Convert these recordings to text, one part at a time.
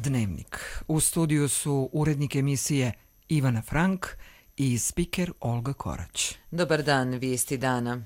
Dnevnik. U studiju su urednik emisije Ivana Frank i spiker Olga Korać. Dobar dan, vijesti dana.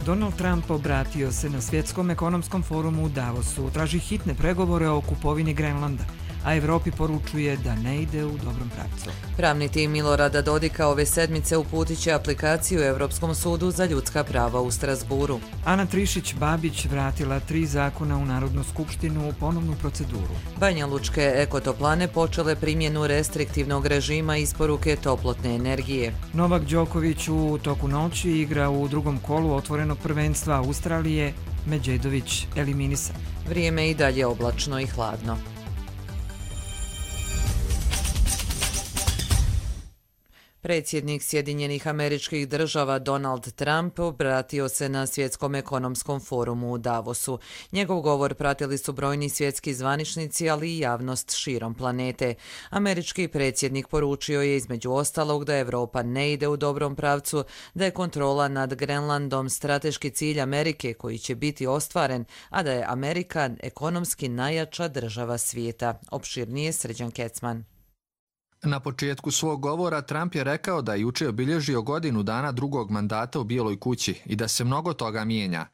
Donald Trump obratio se na Svjetskom ekonomskom forumu u Davosu, traži hitne pregovore o kupovini Grenlanda, a Evropi poručuje da ne ide u dobrom pravcu. Pravni tim Milorada Dodika ove sedmice uputit će aplikaciju Europskom sudu za ljudska prava u Strasburu. Ana Trišić-Babić vratila 3 zakona u Narodnu skupštinu u ponovnu proceduru. Banjalučke ekotoplane počele primjenu restriktivnog režima isporuke toplotne energije. Novak Đoković u toku noći igra u drugom kolu otvorenog prvenstva Australije, Medžedović eliminisan. Vrijeme i dalje oblačno i hladno. Predsjednik Sjedinjenih Američkih Država Donald Trump obratio se na Svjetskom ekonomskom forumu u Davosu. Njegov govor pratili su brojni svjetski zvaničnici, ali i javnost širom planete. Američki predsjednik poručio je između ostalog da Europa ne ide u dobrom pravcu, da je kontrola nad Grenlandom strateški cilj Amerike koji će biti ostvaren, a da je Amerika ekonomski najjača država svijeta. Opširnije Srđan Kecman. Na početku svog govora Trump je rekao da je juče obilježio godinu dana drugog mandata u Bijeloj kući i da se mnogo toga mijenja.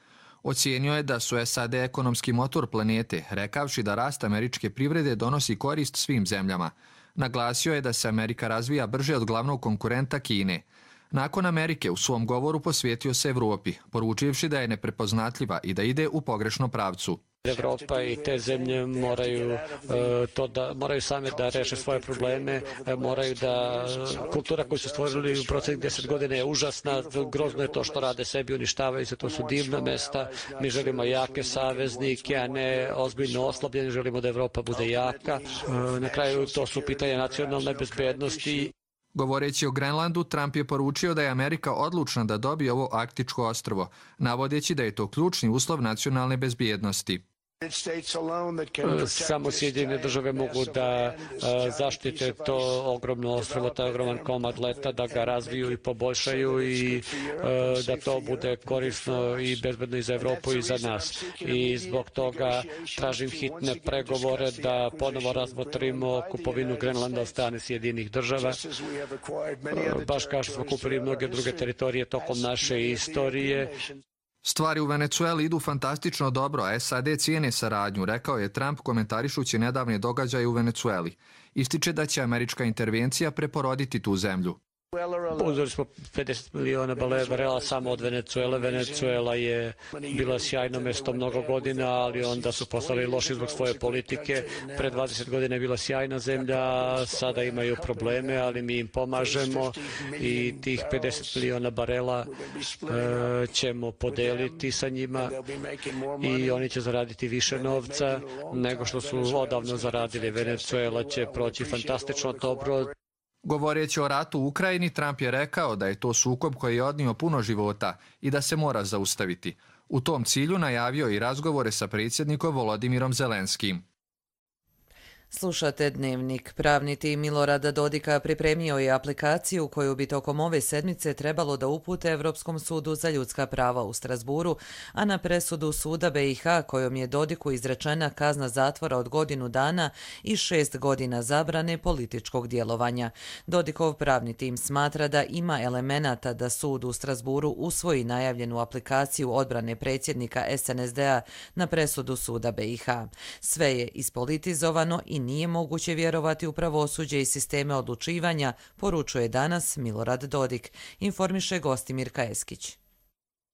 Ocijenio je da su SAD ekonomski motor planete, rekavši da rast američke privrede donosi korist svim zemljama. Naglasio je da se Amerika razvija brže od glavnog konkurenta Kine. Nakon Amerike u svom govoru posvetio se Evropi, poručivši da je neprepoznatljiva i da ide u pogrešnom pravcu. Evropa i te zemlje moraju same da reše svoje probleme, moraju da kultura koju su stvorili u proteklih 10 godina je užasna, grozno je to što rade sebi, uništavaju se, to su divna mesta. Mi želimo jake saveznike, a ne ozbiljno oslabljeni, želimo da Evropa bude jaka. Na kraju to su pitanja nacionalne bezbednosti. Govoreći o Grenlandu, Trump je poručio da je Amerika odlučna da dobije ovo arktičko ostrvo, navodeći da je to ključni uslov nacionalne bezbjednosti. Samo Sjedinjene države mogu da zaštite to ogromno ostrvo, taj ogroman komad leta, da ga razviju i poboljšaju i da to bude korisno i bezbedno i za Evropu i za nas. I zbog toga tražim hitne pregovore da ponovo razmotrimo kupovinu Grenlanda od strane Sjedinjenih država. Baš kao što smo kupili mnoge druge teritorije tokom naše istorije. Stvari u Venecueli idu fantastično dobro, a SAD cijene saradnju, rekao je Trump komentarišući nedavne događaje u Venecueli. Ističe da će američka intervencija preporoditi tu zemlju. Uzeli smo 50 miliona barela samo od Venecuele. Venecuela je bila sjajno mjesto mnogo godina, ali onda su postali loši zbog svoje politike. Pred 20 godina je bila sjajna zemlja, sada imaju probleme, ali mi im pomažemo i tih 50 miliona barela ćemo podeliti sa njima i oni će zaraditi više novca nego što su odavno zaradili. Venecuela će proći fantastično dobro. Govoreći o ratu u Ukrajini, Trump je rekao da je to sukob koji je odnio puno života i da se mora zaustaviti. U tom cilju najavio i razgovore sa predsjednikom Volodimirom Zelenskim. Slušate Dnevnik. Pravni tim Milorada Dodika pripremio je aplikaciju koju bi tokom ove sedmice trebalo da upute Europskom sudu za ljudska prava u Strasburu, a na presudu suda BiH kojom je Dodiku izrečena kazna zatvora od 1 godinu dana i 6 godina zabrane političkog djelovanja. Dodikov pravni tim smatra da ima elemenata da sud u Strasburu usvoji najavljenu aplikaciju odbrane predsjednika SNSD-a na presudu suda BiH. Sve je ispolitizovano i nije moguće vjerovati u pravosuđe i sisteme odlučivanja, poručuje danas Milorad Dodik, informiše Gostimir Kaeskić.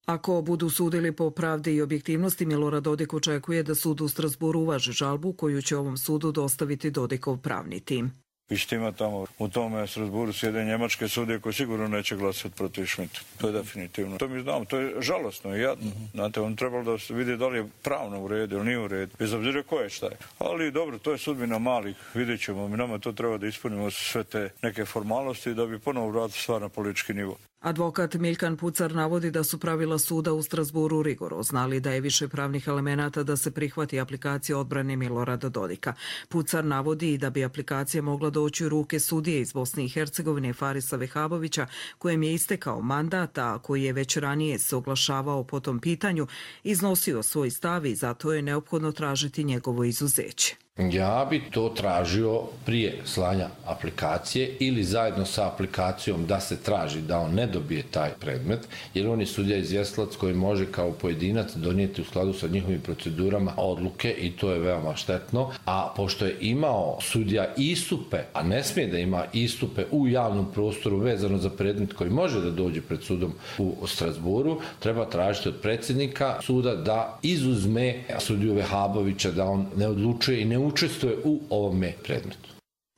Ako budu sudili po pravdi i objektivnosti, Milorad Dodik očekuje da sud u Strasburu uvaži žalbu koju će ovom sudu dostaviti Dodikov pravni tim. Istima tamo, u tome Strasburu sjede njemačke sudije koji sigurno neće glasati protiv Schmidta. To je definitivno. To mi znamo, to je žalosno i jadno. Znate, on trebalo da se vidi da li je pravno u redu ili nije u redu. Bez obzira ko je šta je. Ali dobro, to je sudbina malih, vidjet ćemo. Mi nama to treba da ispunimo sve te neke formalnosti da bi ponovo vratili stvar na politički nivo. Advokat Miljkan Pucar navodi da su pravila suda u Strasburu rigorozna, ali da je više pravnih elemenata da se prihvati aplikacija odbrane Milorada Dodika. Pucar navodi i da bi aplikacija mogla doći u ruke sudije iz Bosne i Hercegovine Farisa Vehabovića, kojem je istekao mandat, a koji je već ranije se oglašavao po tom pitanju, iznosio svoj stav i zato je neophodno tražiti njegovo izuzeće. Ja bi to tražio prije slanja aplikacije ili zajedno sa aplikacijom da se traži da on ne dobije taj predmet, jer on je sudija izvjestilac koji može kao pojedinac donijeti u skladu sa njihovim procedurama odluke i to je veoma štetno. A pošto je imao sudija istupe, a ne smije da ima istupe u javnom prostoru vezano za predmet koji može da dođe pred sudom u Strasburu, treba tražiti od predsjednika suda da izuzme sudiju Vehabovića, da on ne odlučuje i ne učestvuje u ovome predmetu.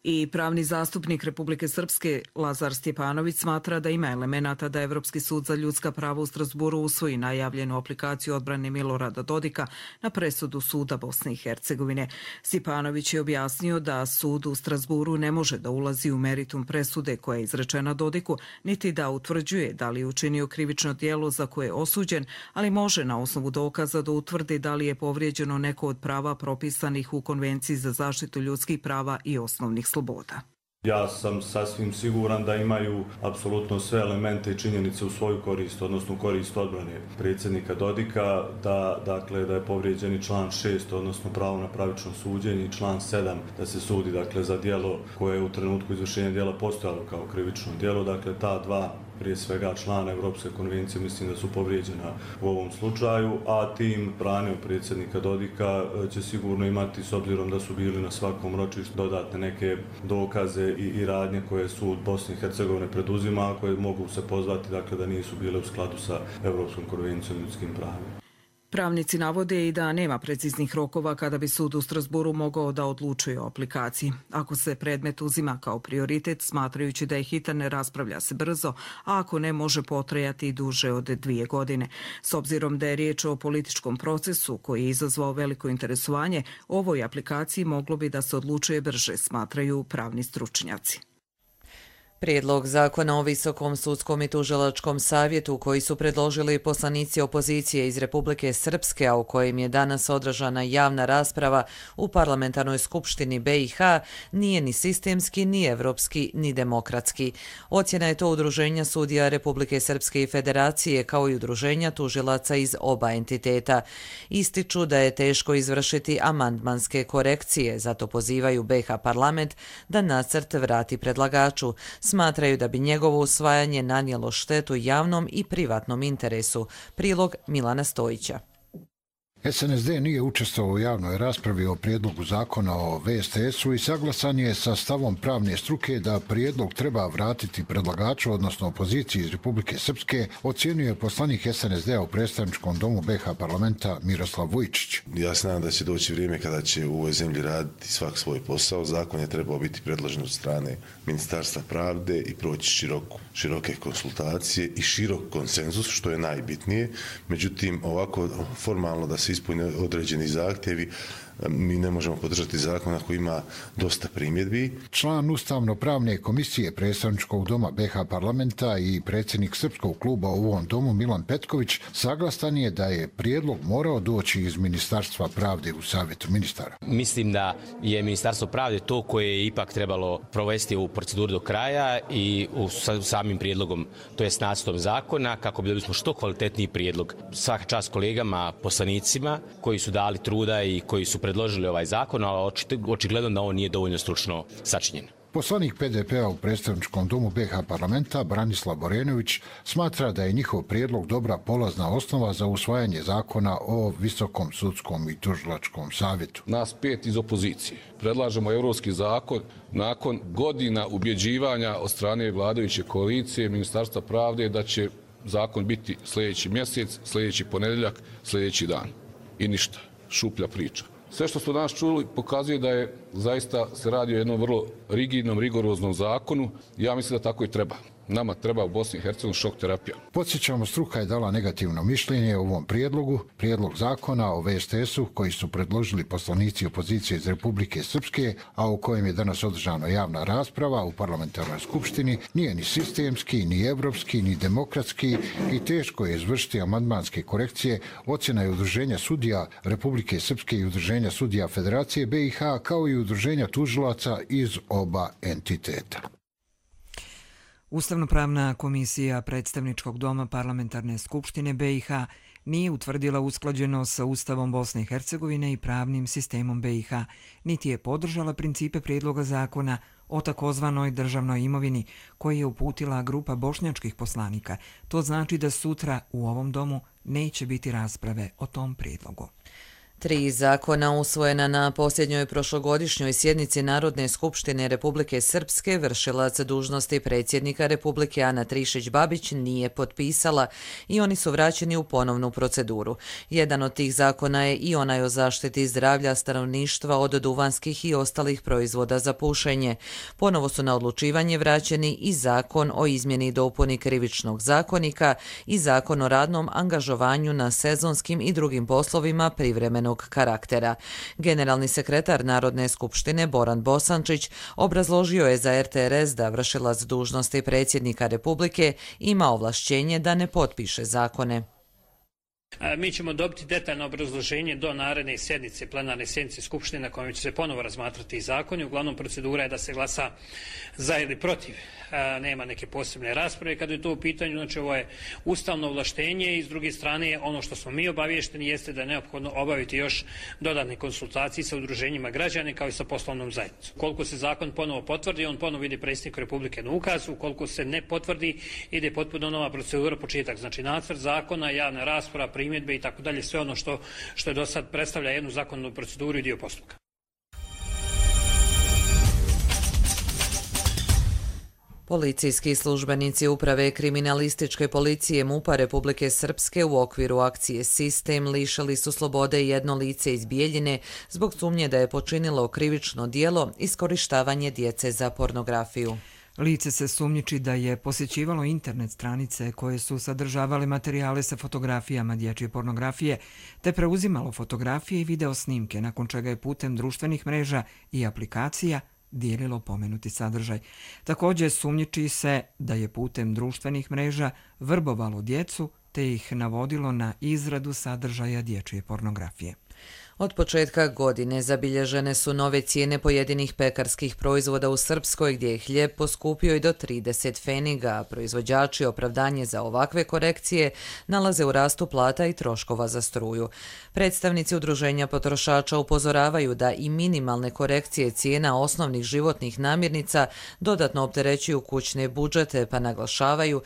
I pravni zastupnik Republike Srpske Lazar Stjepanović smatra da ima elemenata da Evropski sud za ljudska prava u Strasburu usvoji najavljenu aplikaciju odbrane Milorada Dodika na presudu suda Bosne i Hercegovine. Stjepanović je objasnio da sud u Strasburu ne može da ulazi u meritum presude koja je izrečena Dodiku, niti da utvrđuje da li je učinio krivično djelo za koje je osuđen, ali može na osnovu dokaza da utvrdi da li je povrijeđeno neko od prava propisanih u Konvenciji za zaštitu ljudskih prava i osnovnih sloboda. Ja sam sasvim siguran da imaju apsolutno sve elemente i činjenice u svoju korist, odnosno u korist odbrane predsjednika Dodika, da je povrijeđen i član 6, odnosno pravo na pravično suđenje, i član 7, da se sudi za djelo koje je u trenutku izvršenja djela postojalo kao krivično djelo. Dakle, ta dva, prije svega člana Evropske konvencije, mislim da su povrijeđena u ovom slučaju, a tim brane predsjednika Dodika će sigurno imati, s obzirom da su bili na svakom ročištu, dodatne neke dokaze i radnje koje sud Bosne i Hercegovine preduzima, a koje mogu se pozvati da nisu bile u skladu sa Evropskom konvencijom o ljudskim pravima. Pravnici navode i da nema preciznih rokova kada bi sud u Strasburu mogao da odlučuje o aplikaciji. Ako se predmet uzima kao prioritet, smatrajući da je hitan, ne raspravlja se brzo, a ako ne, može potrajati i duže od 2 godine. S obzirom da je riječ o političkom procesu koji je izazvao veliko interesovanje, ovoj aplikaciji moglo bi da se odlučuje brže, smatraju pravni stručnjaci. Prijedlog zakona o Visokom sudskom i tužilačkom savjetu koji su predložili poslanici opozicije iz Republike Srpske, a u kojem je danas održana javna rasprava u parlamentarnoj skupštini BiH, nije ni sistemski, ni evropski, ni demokratski. Ocjena je to udruženja sudija Republike Srpske i Federacije, kao i udruženja tužilaca iz oba entiteta. Ističu da je teško izvršiti amandmanske korekcije, zato pozivaju BiH parlament da nacrt vrati predlagaču. Smatraju da bi njegovo usvajanje nanijelo štetu javnom i privatnom interesu. Prilog Milana Stojića. SNSD nije učestvovao u javnoj raspravi o prijedlogu zakona o VSTS-u i saglasan je sa stavom pravne struke da prijedlog treba vratiti predlagaču, odnosno opoziciji iz Republike Srpske, ocjenjuje poslanik SNSD-a u predstavničkom domu BiH parlamenta Miroslav Vujčić. Ja se nadam da će doći vrijeme kada će u ovoj zemlji raditi svak svoj posao. Zakon je trebao biti predložen od strane Ministarstva pravde i proći široke konsultacije i širok konsenzus, što je najbitnije. Međutim, ovako formalno da se ispune određeni zahtjevi, mi ne možemo podržati zakon ako ima dosta primjedbi. Član Ustavno-pravne komisije predstavničkog doma BiH parlamenta i predsjednik Srpskog kluba u ovom domu Milan Petković saglasan je da je prijedlog morao doći iz Ministarstva pravde u Savjetu ministara. Mislim da je Ministarstvo pravde to koje je ipak trebalo provesti u proceduru do kraja i u samim prijedlogom, to je nacrtom zakona, kako bi dobili smo što kvalitetniji prijedlog. Svaka čast kolegama, poslanicima koji su dali truda i koji su predložili ovaj zakon, ali očigledno da on nije dovoljno stručno sačinjen. Poslanik PDP-a u predstavničkom domu BiH parlamenta Branislav Borenović smatra da je njihov prijedlog dobra polazna osnova za usvajanje zakona o Visokom sudskom i tužilačkom savjetu. Nas 5 iz opozicije predlažemo evropski zakon nakon godina ubjeđivanja od strane vladajuće koalicije Ministarstva pravde da će zakon biti sljedeći mjesec, sljedeći ponedjeljak, sljedeći dan. I ništa, šuplja priča. Sve što smo danas čuli pokazuje da je zaista se radi o jednom vrlo rigidnom, rigoroznom zakonu. Ja mislim da tako i treba. Nama treba u Bosni i Hercegovini šok terapija. Podsjećamo, struka je dala negativno mišljenje o ovom prijedlogu, prijedlog zakona o VSTS-u koji su predložili poslanici opozicije iz Republike Srpske, a u kojem je danas održana javna rasprava u parlamentarnoj skupštini, nije ni sistemski, ni evropski, ni demokratski i teško je izvršiti amandmanske korekcije. Ocjena je Udruženja sudija Republike Srpske i Udruženja sudija Federacije BiH, kao i Udruženja tužilaca iz oba entiteta. Ustavnopravna komisija Predstavničkog doma Parlamentarne skupštine BiH nije utvrdila usklađenost sa Ustavom Bosne i Hercegovine i pravnim sistemom BiH, niti je podržala principe prijedloga zakona o takozvanoj državnoj imovini koji je uputila grupa bošnjačkih poslanika. To znači da sutra u ovom domu neće biti rasprave o tom prijedlogu. 3 zakona usvojena na posljednjoj prošlogodišnjoj sjednici Narodne skupštine Republike Srpske vršilac dužnosti predsjednika Republike Ana Trišić-Babić nije potpisala i oni su vraćeni u ponovnu proceduru. Jedan od tih zakona je i onaj o zaštiti zdravlja stanovništva od duvanskih i ostalih proizvoda za pušenje. Ponovo su na odlučivanje vraćeni i zakon o izmjeni i dopuni Krivičnog zakonika i zakon o radnom angažovanju na sezonskim i drugim poslovima privremenog karaktera. Generalni sekretar Narodne skupštine Boran Bosančić obrazložio je za RTRS da vršilac dužnosti predsjednika Republike ima ovlašćenje da ne potpiše zakone. Mi ćemo dobiti detaljno obrazloženje do naredne sjednice, plenarne sjednice Skupštine na kojoj će se ponovo razmatrati zakoni. Uglavnom procedura je da se glasa za ili protiv. Nema neke posebne rasprave kada je to u pitanju. Znači ovo je ustavno ovlaštenje i s druge strane ono što smo mi obavješteni jeste da je neophodno obaviti još dodatne konsultacije sa udruženjima građana kao i sa poslovnom zajednicom. Ukoliko se zakon ponovo potvrdi, on ponovo ide predsjedniku Republike na ukaz. Ukoliko se ne potvrdi, ide potpuno nova procedura, početak. Znači nacrt zakona, javna rasprava, primjedbe i tako dalje, sve ono što je do sad predstavlja jednu zakonodavnu proceduru i dio postupka. Policijski službenici Uprave kriminalističke policije MUP-a Republike Srpske u okviru akcije Sistem lišili su slobode jedno lice iz Bijeljine zbog sumnje da je počinilo krivično djelo iskorištavanje djece za pornografiju. Lice se sumnjiči da je posjećivalo internet stranice koje su sadržavale materijale sa fotografijama dječje pornografije, te preuzimalo fotografije i video snimke, nakon čega je putem društvenih mreža i aplikacija dijelilo pomenuti sadržaj. Također sumnjiči se da je putem društvenih mreža vrbovalo djecu te ih navodilo na izradu sadržaja dječje pornografije. Od početka godine zabilježene su nove cijene pojedinih pekarskih proizvoda u Srpskoj gdje je hljeb poskupio i do 30 pfeniga, a proizvođači opravdanje za ovakve korekcije nalaze u rastu plata i troškova za struju. Predstavnici udruženja potrošača upozoravaju da i minimalne korekcije cijena osnovnih životnih namirnica dodatno opterećuju kućne budžete, pa naglašavaju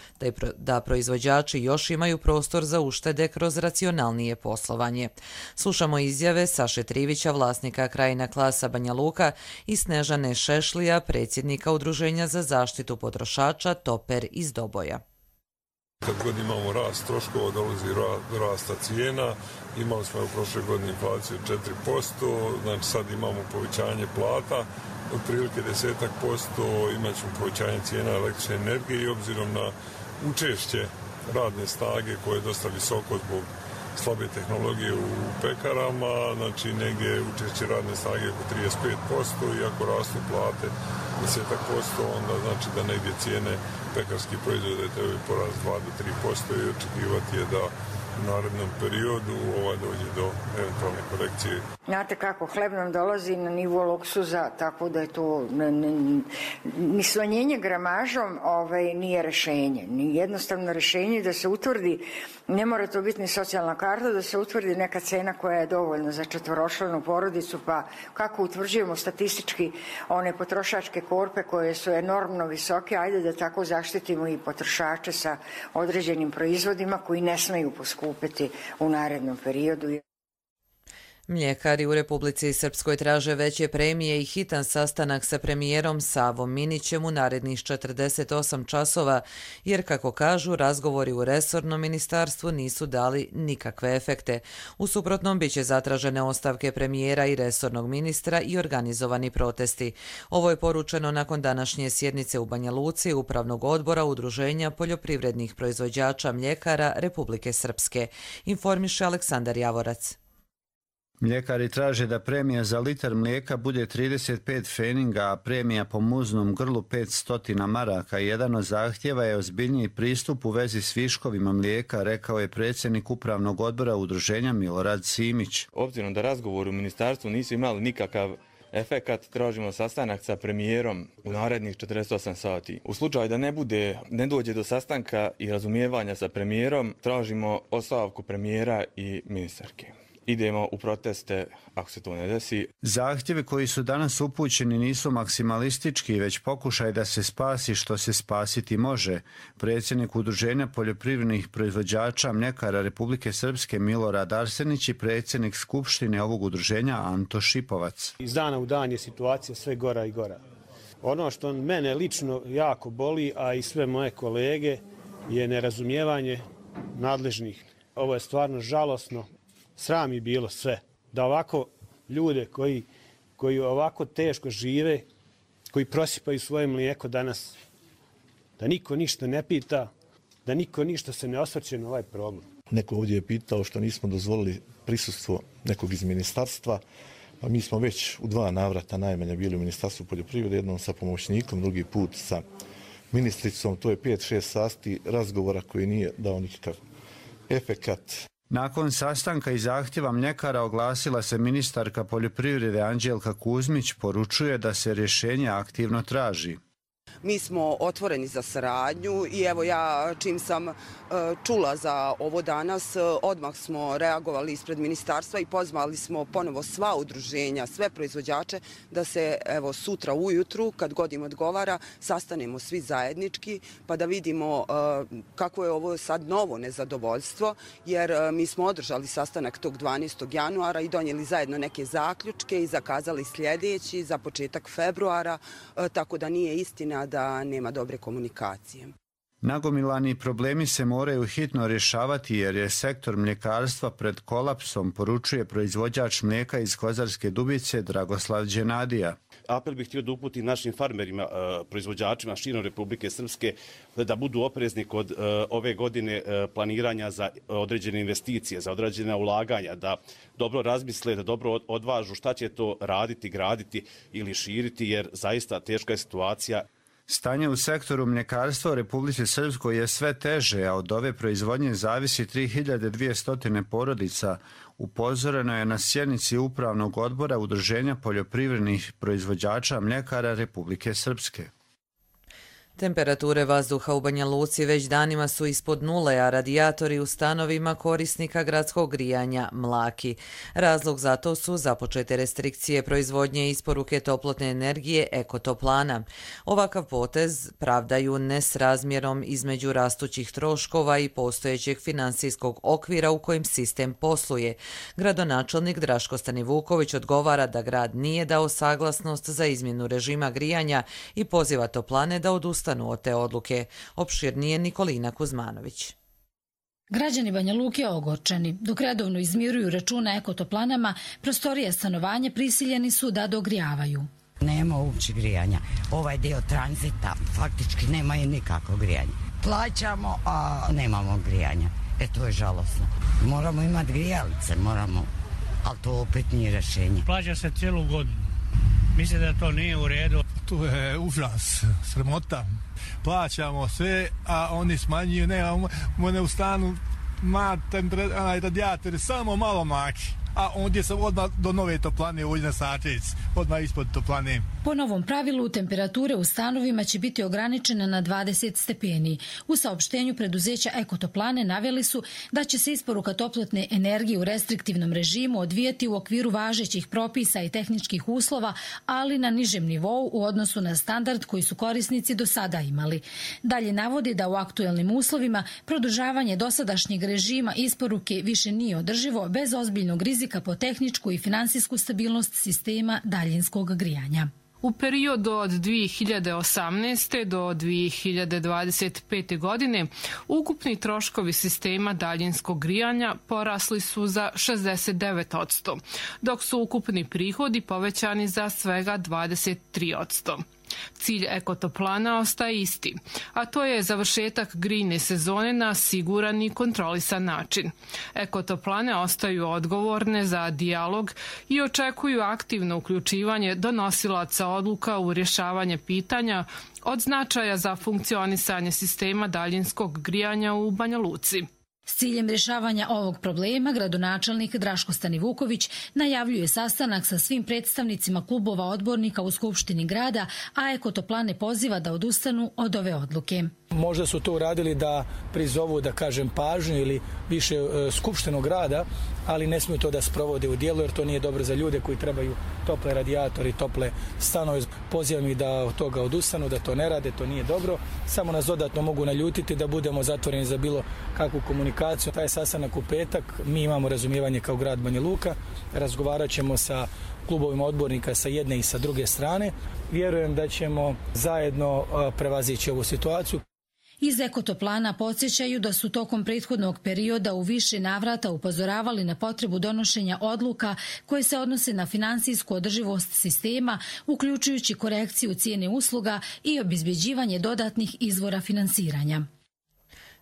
da proizvođači još imaju prostor za uštede kroz racionalnije poslovanje. Slušamo izjave Saše Trivića, vlasnika Krajina Klasa Banja Luka, i Snežane Šešlija, predsjednika Udruženja za zaštitu potrošača Toper iz Doboja. Kad god imamo rast troškova, dolazi rasta cijena. Imali smo u prošloj godini inflaciju 4%, znači sad imamo povećanje plata, otprilike 10%, imat ćemo povećanje cijena električne energije i obzirom na učešće radne snage koje je dosta visoko zbog slabe tehnologije u pekarama, znači negdje učešće radne snage oko 35%, i ako rastu plate 10%, onda znači da negdje cijene pekarskih proizvoda trebaju porast 2 do 3% i očekivati je da u narednom periodu dođe do eventualne korekcije. Znate kako, hleb nam dolazi na nivo luksuza, tako da je to ni smanjenje gramažom nije rješenje. Ni jednostavno rješenje da se utvrdi, ne mora to biti ni socijalna karta, da se utvrdi neka cena koja je dovoljna za četvoročlanu porodicu, pa kako utvrđujemo statistički one potrošačke korpe koje su enormno visoke, ajde da tako zaštitimo i potrošače sa određenim proizvodima koji ne smeju poskupiti u narednom periodu. Mljekari u Republici Srpskoj traže veće premije i hitan sastanak sa premijerom Savom Minićem u narednih 48 časova, jer, kako kažu, razgovori u resornom ministarstvu nisu dali nikakve efekte. U suprotnom biće zatražene ostavke premijera i resornog ministra i organizovani protesti. Ovo je poručeno nakon današnje sjednice u Banja Luci Upravnog odbora Udruženja poljoprivrednih proizvođača mljekara Republike Srpske, informiše Aleksandar Javorac. Mljekari traže da premija za litar mlijeka bude 35 feninga, a premija po muznom grlu 500 maraka. Jedan od zahtjeva je ozbiljniji pristup u vezi s viškovima mlijeka, rekao je predsjednik Upravnog odbora Udruženja Milorad Simić. Obzirom da razgovor u ministarstvu nisu imali nikakav efekat, tražimo sastanak sa premijerom u narednih 48 sati. U slučaju da ne dođe do sastanka i razumijevanja sa premijerom, tražimo ostavku premijera i ministarke. Idemo u proteste ako se to ne desi. Zahtjevi koji su danas upućeni nisu maksimalistički, već pokušaj da se spasi što se spasiti može. Predsjednik Udruženja poljoprivrednih proizvođača mljekara Republike Srpske Milorad Arsenić i predsjednik Skupštine ovog udruženja Anto Šipovac. Iz dana u dan je situacija sve gora i gora. Ono što mene lično jako boli, a i sve moje kolege, je nerazumijevanje nadležnih. Ovo je stvarno žalosno. Sram je bilo sve. Da ovako ljude koji ovako teško žive, koji prosipaju svoje mlijeko danas, da niko ništa ne pita, da niko ništa se ne osvrće na ovaj problem. Neko ovdje je pitao što nismo dozvolili prisustvo nekog iz ministarstva, pa mi smo već u 2 navrata najmanje bili u Ministarstvu poljoprivrede, jednom sa pomoćnikom, drugi put sa ministricom. To je 5-6 sati razgovora koji nije dao nikakav efekat. Nakon sastanka i zahtjeva mljekara oglasila se ministarka poljoprivrede Anđelka Kuzmić, poručuje da se rješenje aktivno traži. Mi smo otvoreni za saradnju i evo ja čim sam čula za ovo danas, odmah smo reagovali ispred ministarstva i pozvali smo ponovo sva udruženja, sve proizvođače da se evo sutra ujutru, kad god im odgovara, sastanemo svi zajednički pa da vidimo kako je ovo sad novo nezadovoljstvo, jer mi smo održali sastanak tog 12. januara i donijeli zajedno neke zaključke i zakazali sljedeći za početak februara, tako da nije istina da nema dobre komunikacije. Nagomilani problemi se moraju hitno rješavati jer je sektor mljekarstva pred kolapsom, poručuje proizvođač mlijeka iz Kozarske Dubice Dragoslav Đenadija. Apel bih htio da uputim našim farmerima, proizvođačima širom Republike Srpske da budu oprezni kod ove godine planiranja za određene investicije, za određena ulaganja, da dobro razmisle, da dobro odvažu šta će to raditi, graditi ili širiti, jer zaista teška je situacija. Stanje u sektoru mljekarstva u Republici Srpskoj je sve teže, a od ove proizvodnje zavisi 3200 porodica. Upozoreno je na sjednici Upravnog odbora Udruženja poljoprivrednih proizvođača mljekara Republike Srpske. Temperature vazduha u Banja Luci već danima su ispod nule, a radijatori u stanovima korisnika gradskog grijanja mlaki. Razlog za to su započete restrikcije proizvodnje i isporuke toplotne energije Ekotoplana. Ovakav potez pravdaju nesrazmjerom između rastućih troškova i postojećeg finansijskog okvira u kojem sistem posluje. Gradonačelnik Draško Stanivuković odgovara da grad nije dao saglasnost za izmjenu režima grijanja i poziva toplane da odustanu od te odluke. Opširnije Nikolina Kuzmanović. Građani Banja Luke ogorčeni. Dok redovno izmiruju račune ekotoplanama, prostorije stanovanja prisiljeni su da dogrijavaju. Nema uopće grijanja. Ovaj dio tranzita faktički nema i nikakvo grijanje. Plaćamo, a nemamo grijanja. To je žalosno. Moramo imati grijalice, ali to opet nije rješenje. Plaća se cijelu godinu. Mislim da to nije u redu. Tu je užas, sramota. Plaćamo sve, a oni smanjuju, nemamo u stanu radijatori, samo malo mlaki. A ondje sam odmah do nove toplane, ovdje na Sačec, odmah ispod toplane. Po novom pravilu, temperature u stanovima će biti ograničene na 20 stepeni. U saopštenju preduzeća Ekotoplane naveli su da će se isporuka toplotne energije u restriktivnom režimu odvijati u okviru važećih propisa i tehničkih uslova, ali na nižem nivou u odnosu na standard koji su korisnici do sada imali. Dalje navodi da u aktuelnim uslovima produžavanje dosadašnjeg režima isporuke više nije održivo bez ozbiljnog rizika rizika po tehničku i finansijsku stabilnost sistema daljinskog grijanja. U periodu od 2018. do 2025. godine ukupni troškovi sistema daljinskog grijanja porasli su za 69%, dok su ukupni prihodi povećani za svega 23%. Cilj ekotoplana ostaje isti, a to je završetak grijne sezone na siguran i kontrolisan način. Ekotoplane ostaju odgovorne za dijalog i očekuju aktivno uključivanje donosilaca odluka u rješavanje pitanja od značaja za funkcionisanje sistema daljinskog grijanja u Banja Luci. S ciljem rješavanja ovog problema, gradonačelnik Draško Stanivuković najavljuje sastanak sa svim predstavnicima klubova odbornika u Skupštini grada, a Ekotoplane poziva da odustanu od ove odluke. Možda su to uradili da prizovu, da kažem, pažnju ili više Skupštinu grada, ali ne smiju to da sprovode u djelo jer to nije dobro za ljude koji trebaju tople radijatori i tople stanove. Pozivam ih da od toga odustanu, da to ne rade, to nije dobro. Samo nas dodatno mogu naljutiti da budemo zatvoreni za bilo kakvu komunikaciju. Taj sastanak u petak, mi imamo razumijevanje kao grad Banja Luka, razgovarat ćemo sa klubovima odbornika sa jedne i sa druge strane. Vjerujem da ćemo zajedno prevazići ovu situaciju. Iz Ekotoplana podsjećaju da su tokom prethodnog perioda u više navrata upozoravali na potrebu donošenja odluka koje se odnose na finansijsku održivost sistema, uključujući korekciju cijene usluga i obezbeđivanje dodatnih izvora finansiranja.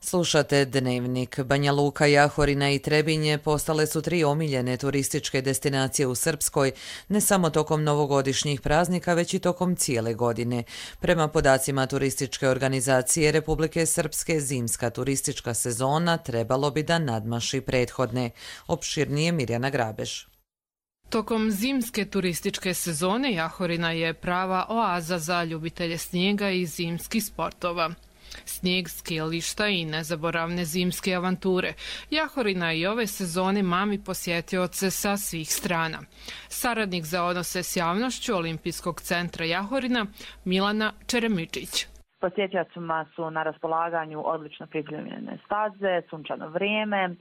Slušate Dnevnik. Banja Luka, Jahorina i Trebinje postale su 3 omiljene turističke destinacije u Srpskoj, ne samo tokom novogodišnjih praznika, već i tokom cijele godine. Prema podacima turističke organizacije Republike Srpske, zimska turistička sezona trebalo bi da nadmaši prethodne. Opširnije Mirjana Grabeš. Tokom zimske turističke sezone Jahorina je prava oaza za ljubitelje snijega i zimskih sportova. Snijeg, skijališta i nezaboravne zimske avanture. Jahorina i ove sezone mami posjetioce sa svih strana. Saradnik za odnose s javnošću Olimpijskog centra Jahorina Milana Čeremičić. Posjetiocima su na raspolaganju odlično pripremljene staze, sunčano vrijeme,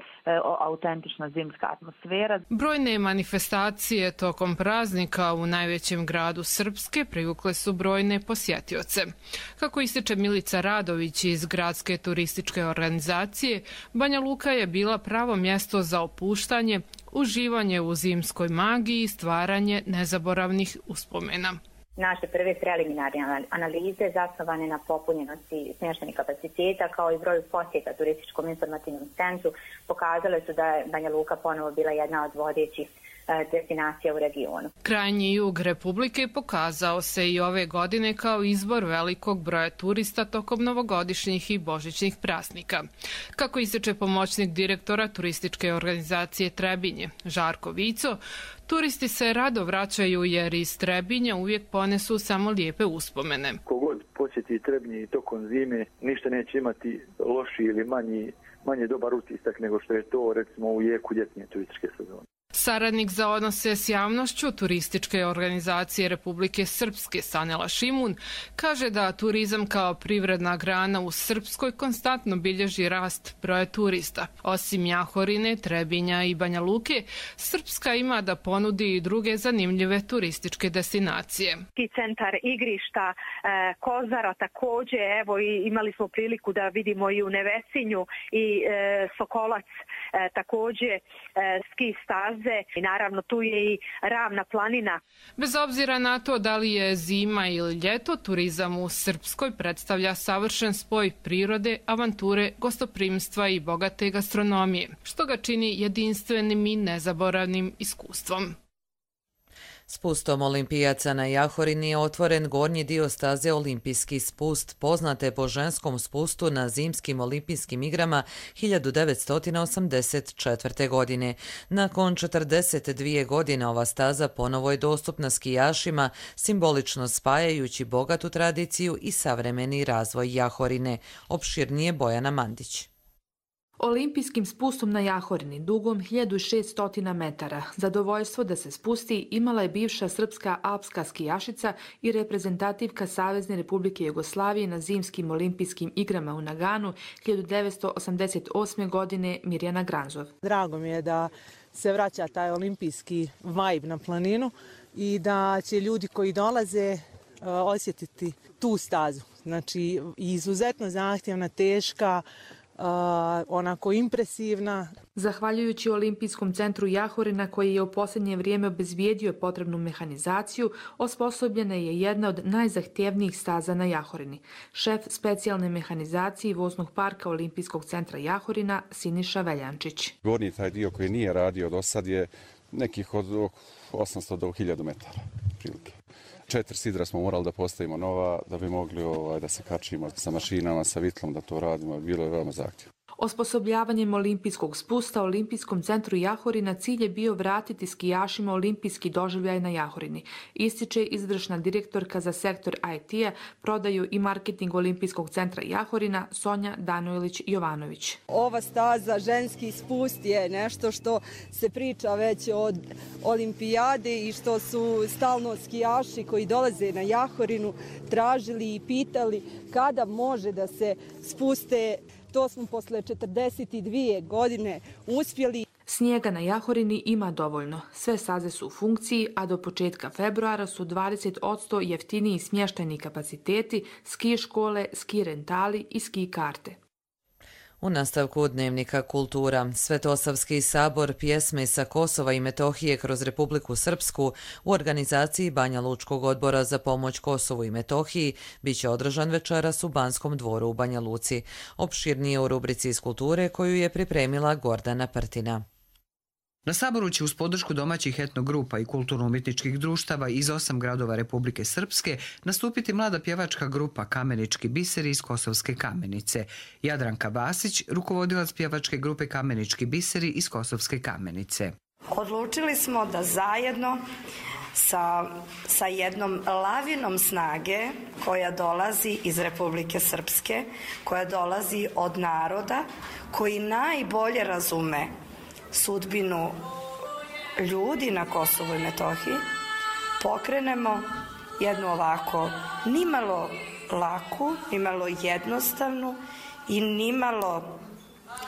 autentična zimska atmosfera. Brojne manifestacije tokom praznika u najvećem gradu Srpske privukle su brojne posjetioce. Kako ističe Milica Radović iz Gradske turističke organizacije, Banja Luka je bila pravo mjesto za opuštanje, uživanje u zimskoj magiji i stvaranje nezaboravnih uspomena. Naše prve preliminarne analize zasnovane na popunjenosti smještajnih kapaciteta kao i broju posjeta turističkom informativnom centru pokazale su da je Banja Luka ponovo bila jedna od vodećih destinacija u regionu. Krajnji jug Republike pokazao se i ove godine kao izbor velikog broja turista tokom novogodišnjih i božićnih praznika. Kako ističe pomoćnik direktora turističke organizacije Trebinje, Žarko Vico, turisti se rado vraćaju jer iz Trebinja uvijek ponesu samo lijepe uspomene. Kogod posjeti Trebinje i tokom zime, ništa neće imati loši ili manje dobar utisak nego što je to recimo u jeku ljetnje turističke sezone. Saradnik za odnose s javnošću turističke organizacije Republike Srpske Sanela Šimun kaže da turizam kao privredna grana u Srpskoj konstantno bilježi rast broja turista. Osim Jahorine, Trebinja i Banja Luke, Srpska ima da ponudi i druge zanimljive turističke destinacije. Centar igrišta, Kozara također, evo imali smo priliku da vidimo i u Nevesinju i Sokolac također ski staze. I naravno tu je i Ravna planina. Bez obzira na to da li je zima ili ljeto, turizam u Srpskoj predstavlja savršen spoj prirode, avanture, gostoprimstva i bogate gastronomije, što ga čini jedinstvenim i nezaboravnim iskustvom. Spustom olimpijaca na Jahorini je otvoren gornji dio staze Olimpijski spust, poznate po ženskom spustu na zimskim olimpijskim igrama 1984. godine. Nakon 42 godine ova staza ponovo je dostupna skijašima, simbolično spajajući bogatu tradiciju i savremeni razvoj Jahorine. Opširnije Bojana Mandić. Olimpijskim spustom na Jahorini, dugom 1600 metara, zadovoljstvo da se spusti imala je bivša srpska alpska skijašica i reprezentativka Savezne Republike Jugoslavije na zimskim olimpijskim igrama u Naganu 1988. godine Mirjana Granzov. Drago mi je da se vraća taj olimpijski vibe na planinu i da će ljudi koji dolaze osjetiti tu stazu. Znači, izuzetno zahtjevna, teška, onako impresivna. Zahvaljujući Olimpijskom centru Jahorina, koji je u posljednje vrijeme obezbijedio potrebnu mehanizaciju, osposobljena je jedna od najzahtjevnijih staza na Jahorini. Šef specijalne mehanizacije voznog parka Olimpijskog centra Jahorina Siniša Veljančić. Gornji taj dio koji nije radio do sad je nekih od 800 do 1000 metara prilike. 4 sidra smo morali da postavimo nova da bi mogli da se kačimo sa mašinama, sa vitlom da to radimo. Bilo je veoma zahtjevno. Osposobljavanjem olimpijskog spusta Olimpijskom centru Jahorina cilj je bio vratiti skijašima olimpijski doživljaj na Jahorini. Ističe izvršna direktorka za sektor IT-a, prodaju i marketing Olimpijskog centra Jahorina Sonja Danojlić-Jovanović. Ova staza, ženski spust, je nešto što se priča već od olimpijade i što su stalno skijaši koji dolaze na Jahorinu tražili i pitali kada može da se spuste. To smo posle 42 godine uspjeli. Snijega na Jahorini ima dovoljno. Sve staze su u funkciji, a do početka februara su 20% jeftiniji smještajni kapaciteti, ski škole, ski rentali i ski karte. U nastavku Dnevnika kultura, Svetosavski sabor pjesme sa Kosova i Metohije kroz Republiku Srpsku u organizaciji Banja Lučkog odbora za pomoć Kosovu i Metohiji biće održan večeras u Banskom dvoru u Banja Luci. Opširnije u rubrici iz kulture koju je pripremila Gordana Prtina. Na saboru će uz podršku domaćih etnogrupa i kulturno-umjetničkih društava iz 8 gradova Republike Srpske nastupiti mlada pjevačka grupa Kamenički biseri iz Kosovske Kamenice. Jadranka Vasić, rukovodilac pjevačke grupe Kamenički biseri iz Kosovske Kamenice. Odlučili smo da zajedno sa jednom lavinom snage koja dolazi iz Republike Srpske, koja dolazi od naroda koji najbolje razume sudbinu ljudi na Kosovu i Metohiji, pokrenemo jednu ovako nimalo laku, nimalo jednostavnu i nimalo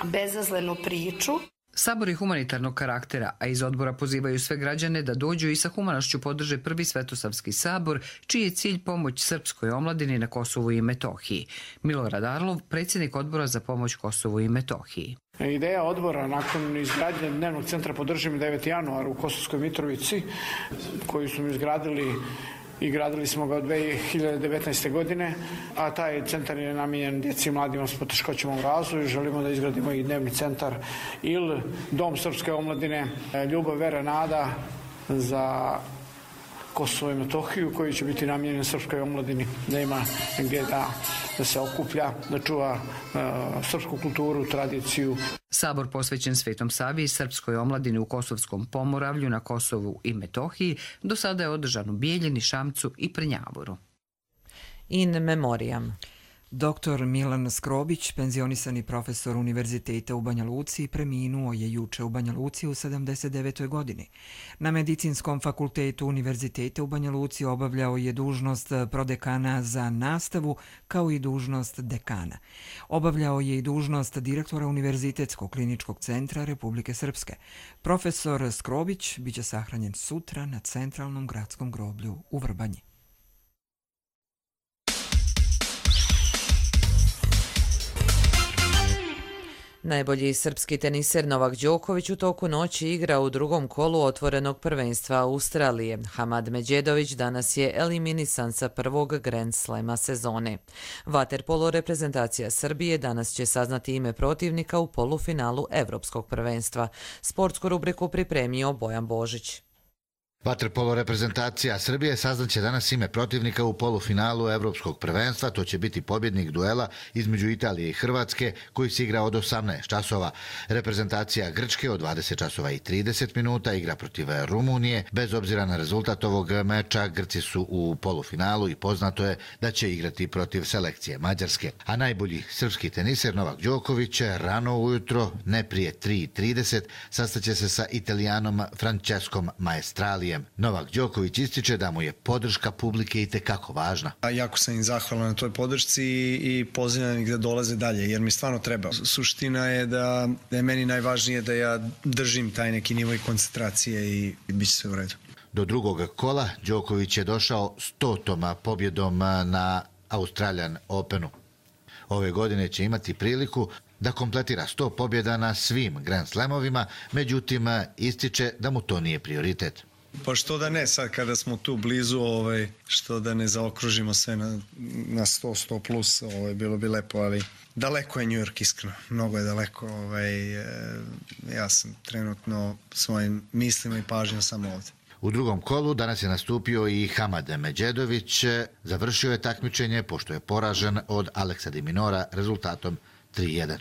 bezazlenu priču. Sabor je humanitarnog karaktera, a iz odbora pozivaju sve građane da dođu i sa humanošću podrže prvi Svetosavski sabor, čiji je cilj pomoć srpskoj omladini na Kosovu i Metohiji. Milorad Arlov, predsjednik odbora za pomoć Kosovu i Metohiji. Ideja odbora nakon izgradnje dnevnog centra Podržimo 9. januar u Kosovskoj Mitrovici, koju smo izgradili i gradili smo ga od 2019. godine, a taj centar je namijenjen djeci i mladima s poteškoćama u razvoju. Želimo da izgradimo i dnevni centar ili Dom srpske omladine Ljubav, vera, nada za Kosovo i Metohiju, koji će biti namijenjen srpskoj omladini, da ima gdje da se okuplja, da čuva srpsku kulturu, tradiciju. Sabor posvećen Svetom Savi i srpskoj omladini u Kosovskom Pomoravlju na Kosovu i Metohiji do sada je održan u Bijeljini, Šamcu i Prnjavoru. In memoriam. Dr. Milan Skrobić, penzionisani profesor Univerziteta u Banja Luci, preminuo je juče u Banja Luci u 79. godini. Na Medicinskom fakultetu Univerziteta u Banja Luci obavljao je dužnost prodekana za nastavu kao i dužnost dekana. Obavljao je i dužnost direktora Univerzitetskog kliničkog centra Republike Srpske. Profesor Skrobić biće sahranjen sutra na centralnom gradskom groblju u Vrbanji. Najbolji srpski teniser Novak Đoković u toku noći igra u drugom kolu otvorenog prvenstva Australije. Hamad Medjedović danas je eliminisan sa prvog Grand Slema sezone. Vaterpolo reprezentacija Srbije danas će saznati ime protivnika u polufinalu Evropskog prvenstva. Sportsku rubriku pripremio Bojan Božić. Vaterpolo reprezentacija Srbije saznaće danas ime protivnika u polufinalu Evropskog prvenstva. To će biti pobjednik duela između Italije i Hrvatske koji se igra od 18 časova. Reprezentacija Grčke od 20 časova i 30 minuta igra protiv Rumunije. Bez obzira na rezultat ovog meča, Grci su u polufinalu i poznato je da će igrati protiv selekcije Mađarske. A najbolji srpski teniser Novak Đoković rano ujutro, ne prije 3:30, sastaće se sa Italijanom Francescom Maestralijom. Australijem. Novak Đoković ističe da mu je podrška publike itekako važna. Jako sam im zahvalan na toj podršci i pozivam ih da dolaze dalje, jer mi stvarno treba. Suština je da je meni najvažnije da ja držim taj neki nivo i koncentracije i bit će sve u redu. Do drugog kola Đoković je došao 100. pobjedom na Australian Openu. Ove godine će imati priliku da kompletira 100 pobjeda na svim Grand Slamovima, međutim ističe da mu to nije prioritet. Pa što da ne, sad kada smo tu blizu, što da ne zaokružimo sve na 100 plus, bilo bi lepo, ali daleko je New York, iskreno, mnogo je daleko. Ja sam trenutno svojim mislima i pažnjom samo ovdje. U drugom kolu danas je nastupio i Hamad Medžedović. Završio je takmičenje pošto je poražen od Aleksa Di Minora rezultatom 3:1.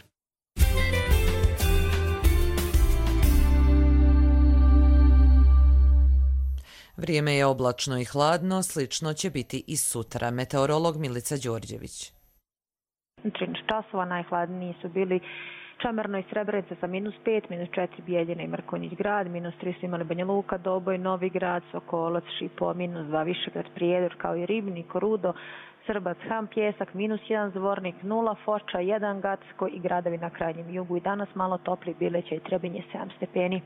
Vrijeme je oblačno i hladno, slično će biti i sutra. Meteorolog Milica Đorđević. 13 časova, najhladniji su bili Čamarno i Srebrenica sa -5, -4 Bijeljina i Mrkonjić grad, -3 su imali Banja Luka, Doboj, Novi grad, Sokolac, Šipo, -2 Višegrad, Prijedor kao i Ribnik, Rudo, Srbac, Ham, Pjesak, -1 Zvornik, 0 Foča, 1 Gacko i gradovi na krajnjem jugu. I danas malo topli Bileća i Trebinje 7 stepeni.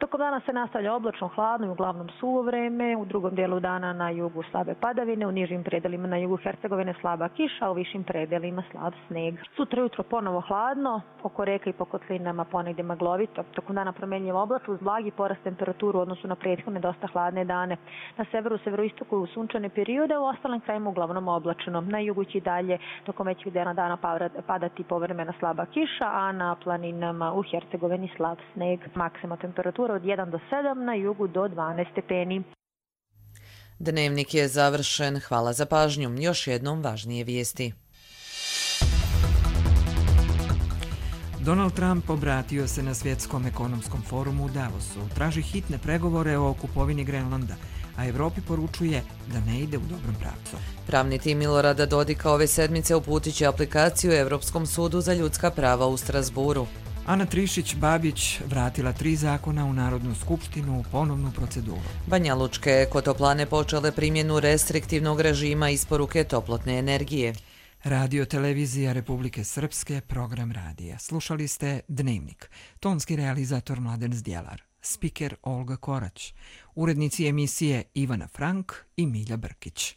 Tokom dana se nastavlja oblačno, hladno i uglavnom suvo vreme. U drugom dijelu dana na jugu slabe padavine, u nižim predelima na jugu Hercegovine slaba kiša, a u višim predelima slab sneg. Sutra jutro ponovo hladno, oko reka i po kotlinama ponegdje maglovito. Tokom dana promjenjivo oblačno uz blagi porast temperaturu u odnosu na prethodne dosta hladne dane. Na severu, severoistoku u sunčane periode, u ostalim krajima uglavnom oblačno. Na jugu će dalje tokom većeg dana padati povremena slaba kiša, a na planinama u Hercegovini slab sneg. Maksima temperatura od 1 do 7, na jugu do 12 stepeni. Dnevnik je završen. Hvala za pažnju. Još jednom važnije vijesti. Donald Trump obratio se na Svjetskom ekonomskom forumu u Davosu. Traži hitne pregovore o kupovini Grenlanda, a Evropi poručuje da ne ide u dobrom pravcu. Pravni tim Milorada Dodika ove sedmice uputit će aplikaciju Evropskom sudu za ljudska prava u Strasburu. Ana Trišić-Babić vratila 3 zakona u Narodnu skupštinu u ponovnu proceduru. Banjalučke ekotoplane počele primjenu restriktivnog režima isporuke toplotne energije. Radio Televizija Republike Srpske, program radija. Slušali ste Dnevnik. Tonski realizator Mladen Zdjelar. Spiker Olga Korać. Urednici emisije Ivana Frank i Milja Brkić.